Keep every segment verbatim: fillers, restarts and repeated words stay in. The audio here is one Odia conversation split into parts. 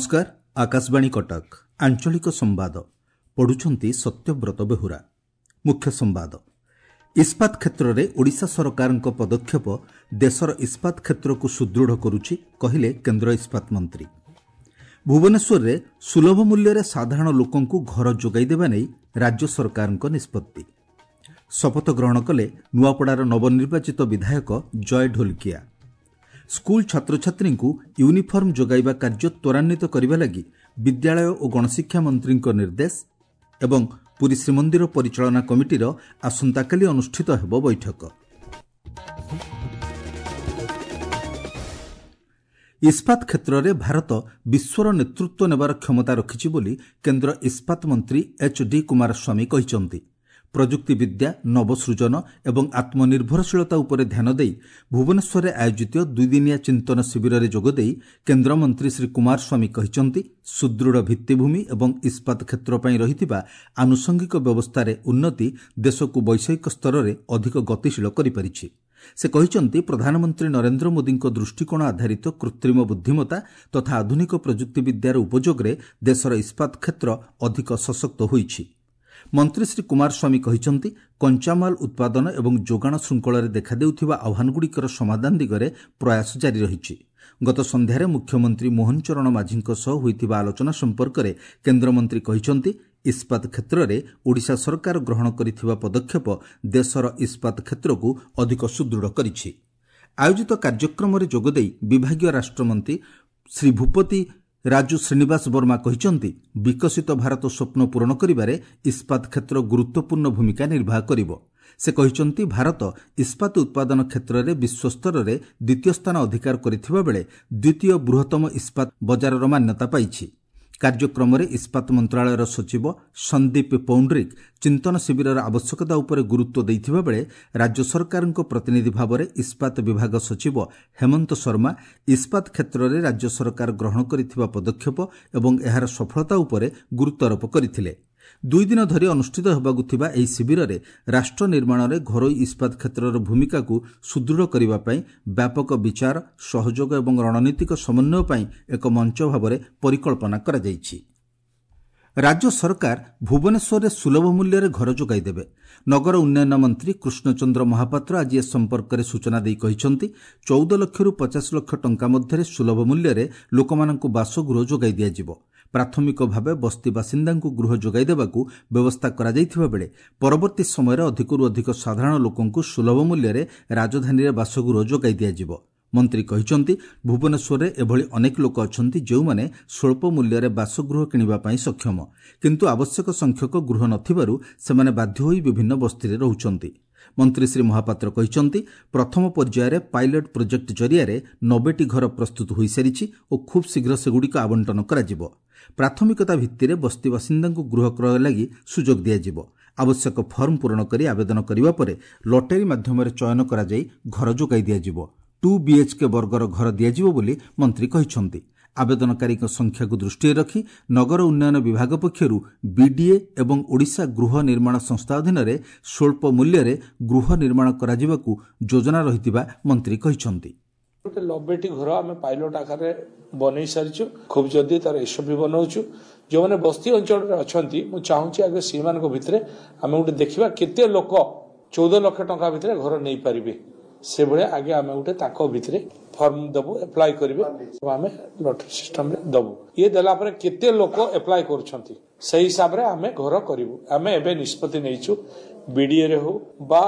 ନମସ୍କାର, ଆକାଶବାଣୀ କଟକ, ଆଞ୍ଚଳିକ ସମ୍ବାଦ ପଢୁଛନ୍ତି ସତ୍ୟବ୍ରତ ବେହୁରା। ମୁଖ୍ୟ ସମ୍ବାଦ। ଇସ୍ପାତ କ୍ଷେତ୍ରରେ ଓଡ଼ିଶା ସରକାରଙ୍କ ପଦକ୍ଷେପ ଦେଶର ଇସ୍ପାତ କ୍ଷେତ୍ରକୁ ସୁଦୃଢ଼ କରୁଛି, କହିଲେ କେନ୍ଦ୍ର ଇସ୍ପାତ ମନ୍ତ୍ରୀ। ଭୁବନେଶ୍ୱରରେ ସୁଲଭ ମୂଲ୍ୟରେ ସାଧାରଣ ଲୋକଙ୍କୁ ଘର ଯୋଗାଇ ଦେବା ନେଇ ରାଜ୍ୟ ସରକାରଙ୍କ ନିଷ୍ପତ୍ତି। ଶପଥ ଗ୍ରହଣ କଲେ ନୂଆପଡ଼ାର ନବନିର୍ବାଚିତ ବିଧାୟକ ଜୟ ଢୋଲକିଆ। ସ୍କୁଲ ଛାତ୍ରଛାତ୍ରୀଙ୍କୁ ୟୁନିଫର୍ମ ଯୋଗାଇବା କାର୍ଯ୍ୟ ତ୍ୱରାନ୍ୱିତ କରିବା ଲାଗି ବିଦ୍ୟାଳୟ ଓ ଗଣଶିକ୍ଷା ମନ୍ତ୍ରୀଙ୍କ ନିର୍ଦ୍ଦେଶ ଏବଂ ପୁରୀ ଶ୍ରୀମନ୍ଦିର ପରିଚାଳନା କମିଟିର ଆସନ୍ତାକାଲି ଅନୁଷ୍ଠିତ ହେବ ବୈଠକ। ଇସ୍ପାତ କ୍ଷେତ୍ରରେ ଭାରତ ବିଶ୍ୱର ନେତୃତ୍ୱ ନେବାର କ୍ଷମତା ରଖିଛି ବୋଲି କେନ୍ଦ୍ର ଇସ୍ପାତ ମନ୍ତ୍ରୀ ଏଚ୍ ଡି କୁମାରସ୍ୱାମୀ କହିଛନ୍ତି। ପ୍ରଯୁକ୍ତିବିଦ୍ୟା, ନବସୃଜନ ଏବଂ ଆତ୍ମନିର୍ଭରଶୀଳତା ଉପରେ ଧ୍ୟାନ ଦେଇ ଭୁବନେଶ୍ୱରରେ ଆୟୋଜିତ ଦୁଇଦିନିଆ ଚିନ୍ତନ ଶିବିରରେ ଯୋଗଦେଇ କେନ୍ଦ୍ରମନ୍ତ୍ରୀ ଶ୍ରୀ କୁମାରସ୍ୱାମୀ କହିଛନ୍ତି, ସୁଦୃଢ଼ ଭିତ୍ତିଭୂମି ଏବଂ ଇସ୍ପାତ କ୍ଷେତ୍ର ପାଇଁ ରହିଥିବା ଆନୁଷଙ୍ଗିକ ବ୍ୟବସ୍ଥାରେ ଉନ୍ନତି ଦେଶକୁ ବୈଷୟିକ ସ୍ତରରେ ଅଧିକ ଗତିଶୀଳ କରିପାରିଛି। ସେ କହିଛନ୍ତି, ପ୍ରଧାନମନ୍ତ୍ରୀ ନରେନ୍ଦ୍ର ମୋଦିଙ୍କ ଦୃଷ୍ଟିକୋଣ ଆଧାରିତ କୃତ୍ରିମ ବୁଦ୍ଧିମତା ତଥା ଆଧୁନିକ ପ୍ରଯୁକ୍ତିବିଦ୍ୟାର ଉପଯୋଗରେ ଦେଶର ଇସ୍ପାତ କ୍ଷେତ୍ର ଅଧିକ ସଶକ୍ତ ହୋଇଛି। ମନ୍ତ୍ରୀ ଶ୍ରୀ କୁମାରସ୍ୱାମୀ କହିଛନ୍ତି, କଞ୍ଚାମାଲ ଉତ୍ପାଦନ ଏବଂ ଯୋଗାଣ ଶୃଙ୍ଖଳରେ ଦେଖାଦେଉଥିବା ଆହ୍ୱାନଗୁଡ଼ିକର ସମାଧାନ ଦିଗରେ ପ୍ରୟାସ ଜାରି ରହିଛି। ଗତ ସନ୍ଧ୍ୟାରେ ମୁଖ୍ୟମନ୍ତ୍ରୀ ମୋହନ ଚରଣ ମାଝୀଙ୍କ ସହ ହୋଇଥିବା ଆଲୋଚନା ସମ୍ପର୍କରେ କେନ୍ଦ୍ରମନ୍ତ୍ରୀ କହିଛନ୍ତି, ଇସ୍ପାତ କ୍ଷେତ୍ରରେ ଓଡ଼ିଶା ସରକାର ଗ୍ରହଣ କରିଥିବା ପଦକ୍ଷେପ ଦେଶର ଇସ୍ପାତ କ୍ଷେତ୍ରକୁ ଅଧିକ ସୁଦୃଢ଼ କରିଛି। ଆୟୋଜିତ କାର୍ଯ୍ୟକ୍ରମରେ ଯୋଗଦେଇ ବିଭାଗୀୟ ରାଷ୍ଟ୍ରମନ୍ତ୍ରୀ ଶ୍ରୀ ଭୂପତି ରାଜୁ ଶ୍ରୀନିବାସ ବର୍ମା କହିଛନ୍ତି, ବିକଶିତ ଭାରତ ସ୍ୱପ୍ନ ପୂରଣ କରିବାରେ ଇସ୍ପାତ କ୍ଷେତ୍ର ଗୁରୁତ୍ୱପୂର୍ଣ୍ଣ ଭୂମିକା ନିର୍ବାହ କରିବ। ସେ କହିଛନ୍ତି, ଭାରତ ଇସ୍ପାତ ଉତ୍ପାଦନ କ୍ଷେତ୍ରରେ ବିଶ୍ୱସ୍ତରରେ ଦ୍ୱିତୀୟ ସ୍ଥାନ ଅଧିକାର କରିଥିବା ବେଳେ ଦ୍ୱିତୀୟ ବୃହତ୍ତମ ଇସ୍ପାତ ବଜାରର ମାନ୍ୟତା ପାଇଛି। କାର୍ଯ୍ୟକ୍ରମରେ ଇସ୍ପାତ ମନ୍ତ୍ରଣାଳୟର ସଚିବ ସନ୍ଦୀପ ପୌଣ୍ଡ୍ରିକ୍ ଚିନ୍ତନ ଶିବିରର ଆବଶ୍ୟକତା ଉପରେ ଗୁରୁତ୍ୱ ଦେଇଥିବା ବେଳେ ରାଜ୍ୟ ସରକାରଙ୍କ ପ୍ରତିନିଧି ଭାବରେ ଇସ୍ପାତ ବିଭାଗ ସଚିବ ହେମନ୍ତ ଶର୍ମା ଇସ୍ପାତ କ୍ଷେତ୍ରରେ ରାଜ୍ୟ ସରକାର ଗ୍ରହଣ କରିଥିବା ପଦକ୍ଷେପ ଏବଂ ଏହାର ସଫଳତା ଉପରେ ଗୁରୁତ୍ୱାରୋପ କରିଥିଲେ। ଦୁଇ ଦିନ ଧରି ଅନୁଷ୍ଠିତ ହେବାକୁ ଥିବା ଏହି ଶିବିରରେ ରାଷ୍ଟ୍ର ନିର୍ମାଣରେ ଘରୋଇ ଇସ୍ପାତ କ୍ଷେତ୍ରର ଭୂମିକାକୁ ସୁଦୃଢ଼ କରିବା ପାଇଁ ବ୍ୟାପକ ବିଚାର, ସହଯୋଗ ଏବଂ ରଣନୀତିକ ସମନ୍ୱୟ ପାଇଁ ଏକ ମଞ୍ଚ ଭାବରେ ପରିକଳ୍ପନା କରାଯାଇଛି। ରାଜ୍ୟ ସରକାର ଭୁବନେଶ୍ୱରରେ ସୁଲଭ ମୂଲ୍ୟରେ ଘର ଯୋଗାଇ ଦେବେ। ନଗର ଉନ୍ନୟନ ମନ୍ତ୍ରୀ କୃଷ୍ଣଚନ୍ଦ୍ର ମହାପାତ୍ର ଆଜି ଏ ସମ୍ପର୍କରେ ସୂଚନା ଦେଇ କହିଛନ୍ତି, ଚଉଦ ଲକ୍ଷରୁ ପଚାଶ ଲକ୍ଷ ଟଙ୍କା ମଧ୍ୟରେ ସୁଲଭ ମୂଲ୍ୟରେ ଲୋକମାନଙ୍କୁ ବାସଗୃହ ଯୋଗାଇ ଦିଆଯିବ। ପ୍ରାଥମିକ ଭାବେ ବସ୍ତି ବାସିନ୍ଦାଙ୍କୁ ଗୃହ ଯୋଗାଇ ଦେବାକୁ ବ୍ୟବସ୍ଥା କରାଯାଇଥିବା ବେଳେ ପରବର୍ତ୍ତୀ ସମୟରେ ଅଧିକରୁ ଅଧିକ ସାଧାରଣ ଲୋକଙ୍କୁ ସୁଲଭ ମୂଲ୍ୟରେ ରାଜଧାନୀରେ ବାସଗୃହ ଯୋଗାଇ ଦିଆଯିବ। ମନ୍ତ୍ରୀ କହିଛନ୍ତି, ଭୁବନେଶ୍ୱରରେ ଏଭଳି ଅନେକ ଲୋକ ଅଛନ୍ତି ଯେଉଁମାନେ ସ୍ୱଳ୍ପ ମୂଲ୍ୟରେ ବାସଗୃହ କିଣିବା ପାଇଁ ସକ୍ଷମ, କିନ୍ତୁ ଆବଶ୍ୟକ ସଂଖ୍ୟକ ଗୃହ ନଥିବାରୁ ସେମାନେ ବାଧ୍ୟ ହୋଇ ବିଭିନ୍ନ ବସ୍ତିରେ ରହୁଛନ୍ତି। ମନ୍ତ୍ରୀ ଶ୍ରୀ ମହାପାତ୍ର କହିଛନ୍ତି, ପ୍ରଥମ ପର୍ଯ୍ୟାୟରେ ପାଇଲଟ ପ୍ରୋଜେକ୍ଟ ଜରିଆରେ ନବେଟି ଘର ପ୍ରସ୍ତୁତ ହୋଇସାରିଛି ଓ ଖୁବ୍ ଶୀଘ୍ର ସେଗୁଡ଼ିକ ଆବଣ୍ଟନ କରାଯିବ। ପ୍ରାଥମିକତା ଭିତ୍ତିରେ ବସ୍ତି ବାସିନ୍ଦାଙ୍କୁ ଗୃହ କ୍ରୟ ଲାଗି ସୁଯୋଗ ଦିଆଯିବ। ଆବଶ୍ୟକ ଫର୍ମ ପୂରଣ କରି ଆବେଦନ କରିବା ପରେ ଲଟେରୀ ମାଧ୍ୟମରେ ଚୟନ କରାଯାଇ ଘର ଯୋଗାଇ ଦିଆଯିବ। ଟୁ ବିଏଚ୍କେ ବର୍ଗର ଘର ଦିଆଯିବ ବୋଲି ମନ୍ତ୍ରୀ କହିଛନ୍ତି। ଆବେଦନକାରୀଙ୍କ ସଂଖ୍ୟାକୁ ଦୃଷ୍ଟିରେ ରଖି ନଗର ଉନ୍ନୟନ ବିଭାଗ ପକ୍ଷରୁ ବିଡିଏ ଏବଂ ଓଡ଼ିଶା ଗୃହ ନିର୍ମାଣ ସଂସ୍ଥା ଅଧୀନରେ ସ୍ୱଳ୍ପ ମୂଲ୍ୟରେ ଗୃହ ନିର୍ମାଣ କରାଯିବାକୁ ଯୋଜନା ରହିଥିବା ମନ୍ତ୍ରୀ କହିଛନ୍ତି। ଗୋଟେ ନବେଟି ଘର ଆମେ ପାଇଲଟ ଆକାରରେ ବନେଇ ସାରିଛୁ, ଖୁବ୍ ଜଲ୍ଦି ତାର ଏସ୍ଓପି ବନାଉଛୁ। ଯେଉଁମାନେ ବସ୍ତି ଅଞ୍ଚଳରେ ଅଛନ୍ତି, ମୁଁ ଚାହୁଁଛି ଆଗେ ସେଇମାନଙ୍କ ଭିତରେ ଆମେ ଗୋଟେ ଦେଖିବା କେତେ ଲୋକ ଚଉଦ ଲକ୍ଷ ଟଙ୍କା ଭିତରେ ଘର ନେଇପାରିବେ। ସେଭଳିଆ ଆଗେ ଆମେ ଗୋଟେ ତାଙ୍କ ଭିତରେ ଫର୍ମ ଦେବୁ, ଆପ୍ଲାଏ କରିବେ, ଆମେ ଲଟେରୀ ସିଷ୍ଟମରେ ଦେବୁ। ଇଏ ଦେଲା ପରେ କେତେ ଲୋକ ଆପ୍ଲାଏ କରୁଛନ୍ତି ସେଇ ହିସାବରେ ଆମେ ଘର କରିବୁ। ଆମେ ଏବେ ନିଷ୍ପତ୍ତି ନେଇଛୁ, ବିଡିଏରେ ହଉ ବା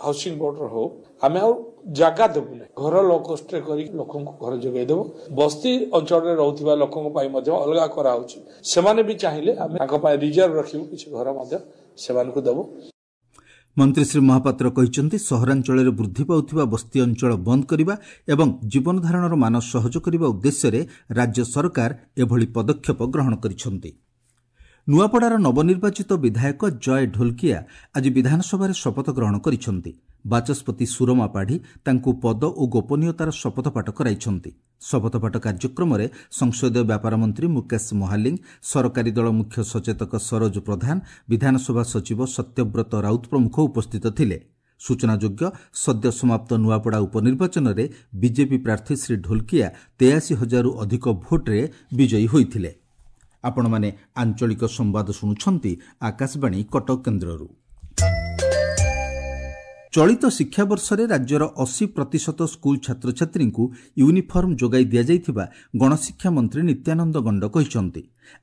ହାଉସିଂ ବୋର୍ଡର ହଉ, ଆମେ ଆଉ ଜାଗା ଦେବୁନି, ଘର ଲୋ କଷ୍ଟରେ କରିକି ଲୋକଙ୍କୁ ଘର ଯୋଗାଇ ଦେବୁ। ବସ୍ତି ଅଞ୍ଚଳରେ ରହୁଥିବା ଲୋକଙ୍କ ପାଇଁ ମଧ୍ୟ ଅଲଗା କରାହଉଛି, ସେମାନେ ବି ଚାହିଁଲେ ଆମେ ତାଙ୍କ ପାଇଁ ରିଜର୍ଭ ରଖିବୁ, କିଛି ଘର ମଧ୍ୟ ସେମାନଙ୍କୁ ଦେବୁ। ମନ୍ତ୍ରୀ ଶ୍ରୀ ମହାପାତ୍ର କହିଛନ୍ତି, ସହରାଞ୍ଚଳରେ ବୃଦ୍ଧି ପାଉଥିବା ବସ୍ତି ଅଞ୍ଚଳ ବନ୍ଦ କରିବା ଏବଂ ଜୀବନଧାରଣର ମାନ ସହଜ କରିବା ଉଦ୍ଦେଶ୍ୟରେ ରାଜ୍ୟ ସରକାର ଏଭଳି ପଦକ୍ଷେପ ଗ୍ରହଣ କରିଛନ୍ତି। ନୂଆପଡ଼ାର ନବନିର୍ବାଚିତ ବିଧାୟକ ଜୟ ଢୋଲକିଆ ଆଜି ବିଧାନସଭାରେ ଶପଥ ଗ୍ରହଣ କରିଛନ୍ତି। ବାଚସ୍ପତି ସୁରମା ପାଢ଼ୀ ତାଙ୍କୁ ପଦ ଓ ଗୋପନୀୟତାର ଶପଥପାଠ କରାଇଛନ୍ତି। ଶପଥପାଠ କାର୍ଯ୍ୟକ୍ରମରେ ସଂସଦୀୟ ବ୍ୟାପାର ମନ୍ତ୍ରୀ ମୁକେଶ ମହାଲିଙ୍ଗ, ସରକାରୀ ଦଳ ମୁଖ୍ୟ ସଚେତକ ସରୋଜ ପ୍ରଧାନ, ବିଧାନସଭା ସଚିବ ସତ୍ୟବ୍ରତ ରାଉତ ପ୍ରମୁଖ ଉପସ୍ଥିତ ଥିଲେ। ସୂଚନାଯୋଗ୍ୟ, ସଦ୍ୟ ସମାପ୍ତ ନୂଆପଡ଼ା ଉପନିର୍ବାଚନରେ ବିଜେପି ପ୍ରାର୍ଥୀ ଶ୍ରୀ ଢୋଲକିଆ ତେୟାଅଶୀ ହଜାରରୁ ଅଧିକ ଭୋଟ୍ରେ ବିଜୟୀ ହୋଇଥିଲେ। ଆପଣମାନେ ଆଞ୍ଚଳିକ ସମ୍ବାଦ ଶୁଣୁଛନ୍ତି ଆକାଶବାଣୀ କଟକ କେନ୍ଦ୍ରରୁ। ଚଳିତ ଶିକ୍ଷାବର୍ଷରେ ରାଜ୍ୟର ଅଶୀ ପ୍ରତିଶତ ସ୍କୁଲ ଛାତ୍ରଛାତ୍ରୀଙ୍କୁ ୟୁନିଫର୍ମ ଯୋଗାଇ ଦିଆଯାଇଥିବା ଗଣଶିକ୍ଷା ମନ୍ତ୍ରୀ ନିତ୍ୟାନନ୍ଦ ଗଣ୍ଡ କହିଛନ୍ତି।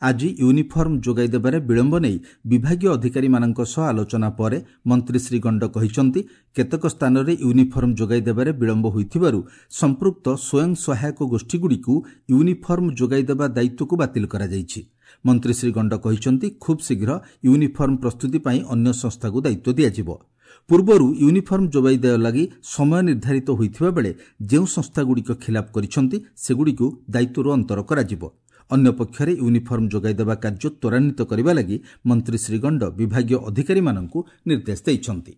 ଆଜି ୟୁନିଫର୍ମ ଯୋଗାଇ ଦେବାରେ ବିଳମ୍ବ ନେଇ ବିଭାଗୀୟ ଅଧିକାରୀମାନଙ୍କ ସହ ଆଲୋଚନା ପରେ ମନ୍ତ୍ରୀ ଶ୍ରୀ ଗଣ୍ଡ କହିଛନ୍ତି, କେତେକ ସ୍ଥାନରେ ୟୁନିଫର୍ମ ଯୋଗାଇ ଦେବାରେ ବିଳମ୍ବ ହୋଇଥିବାରୁ ସମ୍ପୃକ୍ତ ସ୍ୱୟଂ ସହାୟକ ଗୋଷ୍ଠୀଗୁଡ଼ିକୁ ୟୁନିଫର୍ମ ଯୋଗାଇ ଦେବା ଦାୟିତ୍ୱକୁ ବାତିଲ କରାଯାଇଛି। ମନ୍ତ୍ରୀ ଶ୍ରୀ ଗଣ୍ଡ କହିଛନ୍ତି, ଖୁବ୍ ଶୀଘ୍ର ୟୁନିଫର୍ମ ପ୍ରସ୍ତୁତି ପାଇଁ ଅନ୍ୟ ସଂସ୍ଥାକୁ ଦାୟିତ୍ୱ ଦିଆଯିବ। ପୂର୍ବରୁ ୟୁନିଫର୍ମ ଯୋଗାଇ ଦେବା ଲାଗି ସମୟ ନିର୍ଦ୍ଧାରିତ ହୋଇଥିବା ବେଳେ ଯେଉଁ ସଂସ୍ଥାଗୁଡ଼ିକ ଖିଲାପ କରିଛନ୍ତି ସେଗୁଡ଼ିକୁ ଦାୟିତ୍ୱରୁ ଅନ୍ତର କରାଯିବ। ଅନ୍ୟପକ୍ଷରେ ୟୁନିଫର୍ମ ଯୋଗାଇ ଦେବା କାର୍ଯ୍ୟ ତ୍ୱରାନ୍ୱିତ କରିବା ଲାଗି ମନ୍ତ୍ରୀ ଶ୍ରୀ ଗଣ୍ଡ ବିଭାଗୀୟ ଅଧିକାରୀମାନଙ୍କୁ ନିର୍ଦ୍ଦେଶ ଦେଇଛନ୍ତି।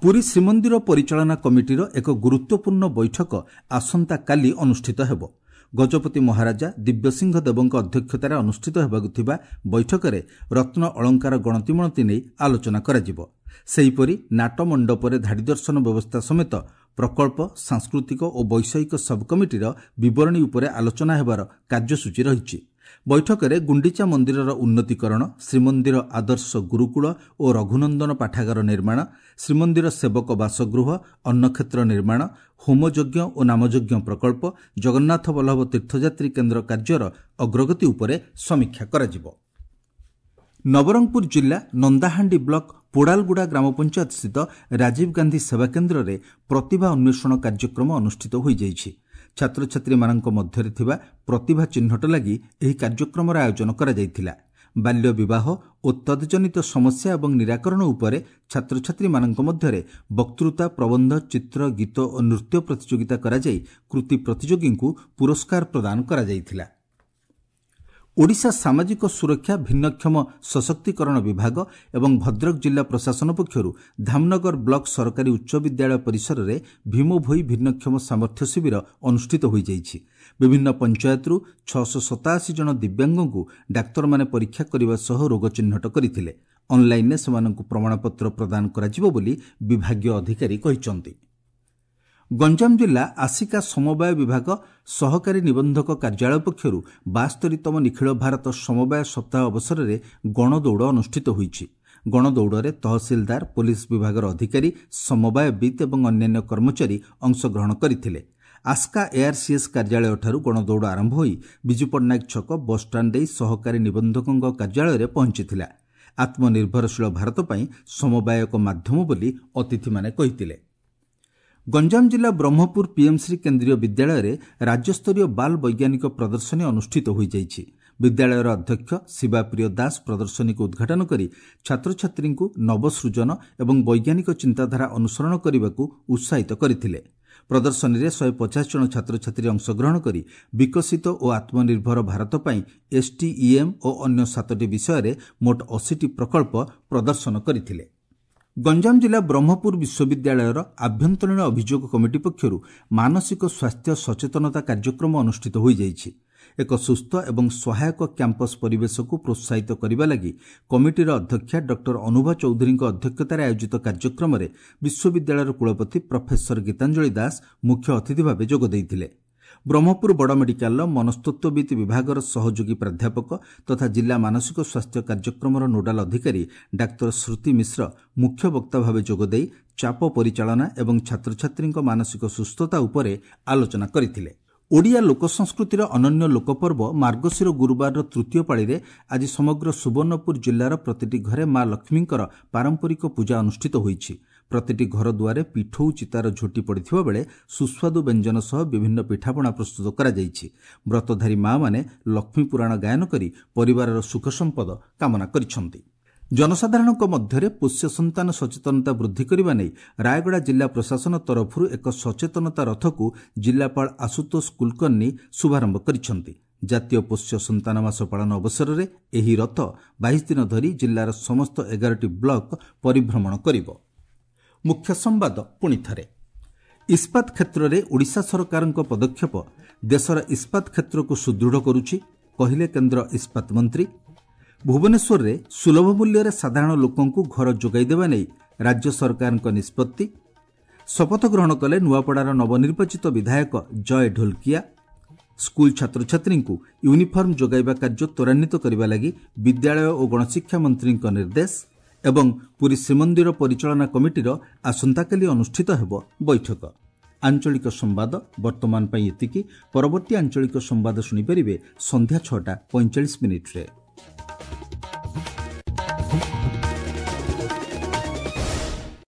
ପୁରୀ ଶ୍ରୀମନ୍ଦିର ପରିଚାଳନା କମିଟିର ଏକ ଗୁରୁତ୍ୱପୂର୍ଣ୍ଣ ବୈଠକ ଆସନ୍ତାକାଲି ଅନୁଷ୍ଠିତ ହେବ। ଗଜପତି ମହାରାଜା ଦିବ୍ୟସିଂହ ଦେବଙ୍କ ଅଧ୍ୟକ୍ଷତାରେ ଅନୁଷ୍ଠିତ ହେବାକୁ ଥିବା ବୈଠକରେ ରତ୍ନ ଅଳଙ୍କାର ଗଣତିମଣତି ନେଇ ଆଲୋଚନା କରାଯିବ। ସେହିପରି ନାଟମଣ୍ଡପରେ ଧାଡ଼ି ଦର୍ଶନ ବ୍ୟବସ୍ଥା ସମେତ ପ୍ରକଳ୍ପ, ସାଂସ୍କୃତିକ ଓ ବୈଷୟିକ ସବ୍ କମିଟିର ବିବରଣୀ ଉପରେ ଆଲୋଚନା ହେବାର କାର୍ଯ୍ୟସୂଚୀ ରହିଛି। ବୈଠକରେ ଗୁଣ୍ଡିଚା ମନ୍ଦିରର ଉନ୍ନତିକରଣ, ଶ୍ରୀମନ୍ଦିର ଆଦର୍ଶ ଗୁରୁକୁଳ ଓ ରଘୁନନ୍ଦନ ପାଠାଗାର ନିର୍ମାଣ, ଶ୍ରୀମନ୍ଦିର ସେବକ ବାସଗୃହ, ଅନ୍ନକ୍ଷେତ୍ର ନିର୍ମାଣ, ହୋମଯଜ୍ଞ ଓ ନାମଯଜ୍ଞ ପ୍ରକଳ୍ପ, ଜଗନ୍ନାଥ ବଲ୍ଲଭ ତୀର୍ଥଯାତ୍ରୀ କେନ୍ଦ୍ର କାର୍ଯ୍ୟର ଅଗ୍ରଗତି ଉପରେ ସମୀକ୍ଷା କରାଯିବ। ନବରଙ୍ଗପୁର ଜିଲ୍ଲା ନନ୍ଦାହାଣ୍ଡି ବ୍ଲକ ପୋଡାଲଗୁଡ଼ା ଗ୍ରାମପଞ୍ଚାୟତସ୍ଥିତ ରାଜୀବ ଗାନ୍ଧୀ ସେବା କେନ୍ଦ୍ରରେ ପ୍ରତିଭା ଅନ୍ୱେଷଣ କାର୍ଯ୍ୟକ୍ରମ ଅନୁଷ୍ଠିତ ହୋଇଯାଇଛି। ଛାତ୍ରଛାତ୍ରୀମାନଙ୍କ ମଧ୍ୟରେ ଥିବା ପ୍ରତିଭା ଚିହ୍ନଟ ଲାଗି ଏହି କାର୍ଯ୍ୟକ୍ରମର ଆୟୋଜନ କରାଯାଇଥିଲା। ବାଲ୍ୟ ବିବାହ ଓ ତଦ୍ଜନିତ ସମସ୍ୟା ଏବଂ ନିରାକରଣ ଉପରେ ଛାତ୍ରଛାତ୍ରୀମାନଙ୍କ ମଧ୍ୟରେ ବକ୍ତୃତା, ପ୍ରବନ୍ଧ, ଚିତ୍ର, ଗୀତ ଓ ନୃତ୍ୟ ପ୍ରତିଯୋଗିତା କରାଯାଇ କୃତି ପ୍ରତିଯୋଗୀଙ୍କୁ ପୁରସ୍କାର ପ୍ରଦାନ କରାଯାଇଥିଲା। ଓଡ଼ିଶା ସାମାଜିକ ସୁରକ୍ଷା ଭିନ୍ନକ୍ଷମ ସଶକ୍ତିକରଣ ବିଭାଗ ଏବଂ ଭଦ୍ରକ ଜିଲ୍ଲା ପ୍ରଶାସନ ପକ୍ଷରୁ ଧାମନଗର ବ୍ଲକ ସରକାରୀ ଉଚ୍ଚ ବିଦ୍ୟାଳୟ ପରିସରରେ ଭୀମଭୋଇ ଭିନ୍ନକ୍ଷମ ସାମର୍ଥ୍ୟ ଶିବିର ଅନୁଷ୍ଠିତ ହୋଇଯାଇଛି। ବିଭିନ୍ନ ପଞ୍ଚାୟତରୁ ଛଅଶହ ସତାଅଶୀ ଜଣ ଦିବ୍ୟାଙ୍ଗଙ୍କୁ ଡାକ୍ତରମାନେ ପରୀକ୍ଷା କରିବା ସହ ରୋଗ ଚିହ୍ନଟ କରିଥିଲେ। ଅନ୍ଲାଇନ୍ରେ ସେମାନଙ୍କୁ ପ୍ରମାଣପତ୍ର ପ୍ରଦାନ କରାଯିବ ବୋଲି ବିଭାଗୀୟ ଅଧିକାରୀ କହିଛନ୍ତି। ଗଞ୍ଜାମ ଜିଲ୍ଲା ଆସିକା ସମବାୟ ବିଭାଗ ସହକାରୀ ନିବନ୍ଧକ କାର୍ଯ୍ୟାଳୟ ପକ୍ଷରୁ ବାସ୍ତରୀତମ ନିଖିଳ ଭାରତ ସମବାୟ ସପ୍ତାହ ଅବସରରେ ଗଣଦୌଡ଼ ଅନୁଷ୍ଠିତ ହୋଇଛି। ଗଣଦୌଡ଼ରେ ତହସିଲଦାର, ପୋଲିସ ବିଭାଗର ଅଧିକାରୀ, ସମବାୟବିତ୍ ଏବଂ ଅନ୍ୟାନ୍ୟ କର୍ମଚାରୀ ଅଂଶଗ୍ରହଣ କରିଥିଲେ। ଆସ୍କା ଏଆର୍ସିଏସ୍ କାର୍ଯ୍ୟାଳୟଠାରୁ ଗଣଦୌଡ଼ ଆରମ୍ଭ ହୋଇ ବିଜୁ ପଟ୍ଟନାୟକ ଛକ, ବସ୍ଷ୍ଟାଣ୍ଡ ଦେଇ ସହକାରୀ ନିବନ୍ଧକଙ୍କ କାର୍ଯ୍ୟାଳୟରେ ପହଞ୍ଚିଥିଲା। ଆତ୍ମନିର୍ଭରଶୀଳ ଭାରତ ପାଇଁ ସମବାୟ ଏକ ମାଧ୍ୟମ ବୋଲି ଅତିଥିମାନେ କହିଥିଲେ। ଗଞ୍ଜାମ ଜିଲ୍ଲା ବ୍ରହ୍ମପୁର ପିଏମ୍ଶ୍ରୀ କେନ୍ଦ୍ରୀୟ ବିଦ୍ୟାଳୟରେ ରାଜ୍ୟସ୍ତରୀୟ ବାଲ୍ ବୈଜ୍ଞାନିକ ପ୍ରଦର୍ଶନୀ ଅନୁଷ୍ଠିତ ହୋଇଯାଇଛି। ବିଦ୍ୟାଳୟର ଅଧ୍ୟକ୍ଷ ଶିବାପ୍ରିୟ ଦାସ ପ୍ରଦର୍ଶନୀକୁ ଉଦ୍ଘାଟନ କରି ଛାତ୍ରଛାତ୍ରୀଙ୍କୁ ନବସୃଜନ ଏବଂ ବୈଜ୍ଞାନିକ ଚିନ୍ତାଧାରା ଅନୁସରଣ କରିବାକୁ ଉତ୍ସାହିତ କରିଥିଲେ। ପ୍ରଦର୍ଶନୀରେ ଶହେ ପଚାଶ ଜଣ ଛାତ୍ରଛାତ୍ରୀ ଅଂଶଗ୍ରହଣ କରି ବିକଶିତ ଓ ଆତ୍ମନିର୍ଭର ଭାରତ ପାଇଁ ଏସ୍ଟିଇଏମ୍ ଓ ଅନ୍ୟ ସାତଟି ବିଷୟରେ ମୋଟ ଅଶୀଟି ପ୍ରକଳ୍ପ ପ୍ରଦର୍ଶନ କରିଥିଲେ। ଗଞ୍ଜାମ ଜିଲ୍ଲା ବ୍ରହ୍ମପୁର ବିଶ୍ୱବିଦ୍ୟାଳୟର ଆଭ୍ୟନ୍ତରୀଣ ଅଭିଯୋଗ କମିଟି ପକ୍ଷରୁ ମାନସିକ ସ୍ୱାସ୍ଥ୍ୟ ସଚେତନତା କାର୍ଯ୍ୟକ୍ରମ ଅନୁଷ୍ଠିତ ହୋଇଯାଇଛି। ଏକ ସୁସ୍ଥ ଏବଂ ସହାୟକ କ୍ୟାମ୍ପସ୍ ପରିବେଶକୁ ପ୍ରୋତ୍ସାହିତ କରିବା ଲାଗି କମିଟିର ଅଧ୍ୟକ୍ଷା ଡକ୍ଟର ଅନୁଭା ଚୌଧୁରୀଙ୍କ ଅଧ୍ୟକ୍ଷତାରେ ଆୟୋଜିତ କାର୍ଯ୍ୟକ୍ରମରେ ବିଶ୍ୱବିଦ୍ୟାଳୟର କୁଳପତି ପ୍ରଫେସର ଗୀତାଞ୍ଜଳି ଦାସ ମୁଖ୍ୟ ଅତିଥି ଭାବେ ଯୋଗ ଦେଇଥିଲେ। ବ୍ରହ୍ମପୁର ବଡ଼ ମେଡିକାଲର ମନସ୍ତତ୍ତ୍ୱବିତ୍ ବିଭାଗର ସହଯୋଗୀ ପ୍ରାଧ୍ୟାପକ ତଥା ଜିଲ୍ଲା ମାନସିକ ସ୍ୱାସ୍ଥ୍ୟ କାର୍ଯ୍ୟକ୍ରମର ନୋଡାଲ ଅଧିକାରୀ ଡାକ୍ତର ଶ୍ରୁତି ମିଶ୍ର ମୁଖ୍ୟ ବକ୍ତା ଭାବେ ଯୋଗଦେଇ ଚାପ ପରିଚାଳନା ଏବଂ ଛାତ୍ରଛାତ୍ରୀଙ୍କ ମାନସିକ ସୁସ୍ଥତା ଉପରେ ଆଲୋଚନା କରିଥିଲେ। ଓଡ଼ିଆ ଲୋକସଂସ୍କୃତିର ଅନନ୍ୟ ଲୋକପର୍ବ ମାର୍ଗଶିର ଗୁରୁବାରର ତୃତୀୟ ପାଳିରେ ଆଜି ସମଗ୍ର ସୁବର୍ଣ୍ଣପୁର ଜିଲ୍ଲାର ପ୍ରତିଟି ଘରେ ମା ଲକ୍ଷ୍ମୀଙ୍କର ପାରମ୍ପରିକ ପୂଜା ଅନୁଷ୍ଠିତ ହୋଇଛି। ପ୍ରତିଟି ଘର ଦୁଆରେ ପିଠଉ ଚିତାର ଝୋଟି ପଡ଼ିଥିବା ବେଳେ ସୁସ୍ୱାଦୁ ବ୍ୟଞ୍ଜନ ସହ ବିଭିନ୍ନ ପିଠାପଣା ପ୍ରସ୍ତୁତ କରାଯାଇଛି। ବ୍ରତଧାରୀ ମା'ମାନେ ଲକ୍ଷ୍ମୀ ପୁରାଣ ଗାୟନ କରି ପରିବାରର ସୁଖ ସମ୍ପଦ କାମନା କରିଛନ୍ତି। ଜନସାଧାରଣଙ୍କ ମଧ୍ୟରେ ପୋଷ୍ୟ ସନ୍ତାନ ସଚେତନତା ବୃଦ୍ଧି କରିବା ନେଇ ରାୟଗଡ଼ା ଜିଲ୍ଲା ପ୍ରଶାସନ ତରଫରୁ ଏକ ସଚେତନତା ରଥକୁ ଜିଲ୍ଲାପାଳ ଆଶୁତୋଷ କୁଲକର୍ଣ୍ଣି ଶୁଭାରମ୍ଭ କରିଛନ୍ତି। ଜାତୀୟ ପୋଷ୍ୟ ସନ୍ତାନ ମାସ ପାଳନ ଅବସରରେ ଏହି ରଥ ବାଇଶ ଦିନ ଧରି ଜିଲ୍ଲାର ସମସ୍ତ ଏଗାରଟି ବ୍ଲକ ପରିଭ୍ରମଣ କରିବ। ମୁଖ୍ୟ ସମ୍ବାଦ ପୁଣିଥରେ। ଇସ୍ପାତ କ୍ଷେତ୍ରରେ ଓଡ଼ିଶା ସରକାରଙ୍କ ପଦକ୍ଷେପ ଦେଶର ଇସ୍ପାତ କ୍ଷେତ୍ରକୁ ସୁଦୃଢ଼ କରୁଛି, କହିଲେ କେନ୍ଦ୍ର ଇସ୍ପାତ ମନ୍ତ୍ରୀ। ଭୁବନେଶ୍ୱରରେ ସୁଲଭ ମୂଲ୍ୟରେ ସାଧାରଣ ଲୋକଙ୍କୁ ଘର ଯୋଗାଇ ଦେବା ନେଇ ରାଜ୍ୟ ସରକାରଙ୍କ ନିଷ୍ପତ୍ତି। ଶପଥ ଗ୍ରହଣ କଲେ ନୂଆପଡ଼ାର ନବନିର୍ବାଚିତ ବିଧାୟକ ଜୟ ଢୋଲକିଆ। ସ୍କୁଲ ଛାତ୍ରଛାତ୍ରୀଙ୍କୁ ୟୁନିଫର୍ମ ଯୋଗାଇବା କାର୍ଯ୍ୟ ତ୍ୱରାନ୍ୱିତ କରିବା ଲାଗି ବିଦ୍ୟାଳୟ ଓ ଗଣଶିକ୍ଷା ମନ୍ତ୍ରୀଙ୍କ ନିର୍ଦ୍ଦେଶ। ଏବଂ ପୁରୀ ଶ୍ରୀମନ୍ଦିର ପରିଚାଳନା କମିଟିର ଆସନ୍ତାକାଲି ଅନୁଷ୍ଠିତ ହେବ ବୈଠକ। ଆଞ୍ଚଳିକ ସମ୍ବାଦ ବର୍ତ୍ତମାନ ପାଇଁ ଏତିକି। ପରବର୍ତ୍ତୀ ଆଞ୍ଚଳିକ ସମ୍ବାଦ ଶୁଣିପାରିବେ ସନ୍ଧ୍ୟା ଛଅଟା ପଇଁଚାଳିଶ ମିନିଟ୍ରେ।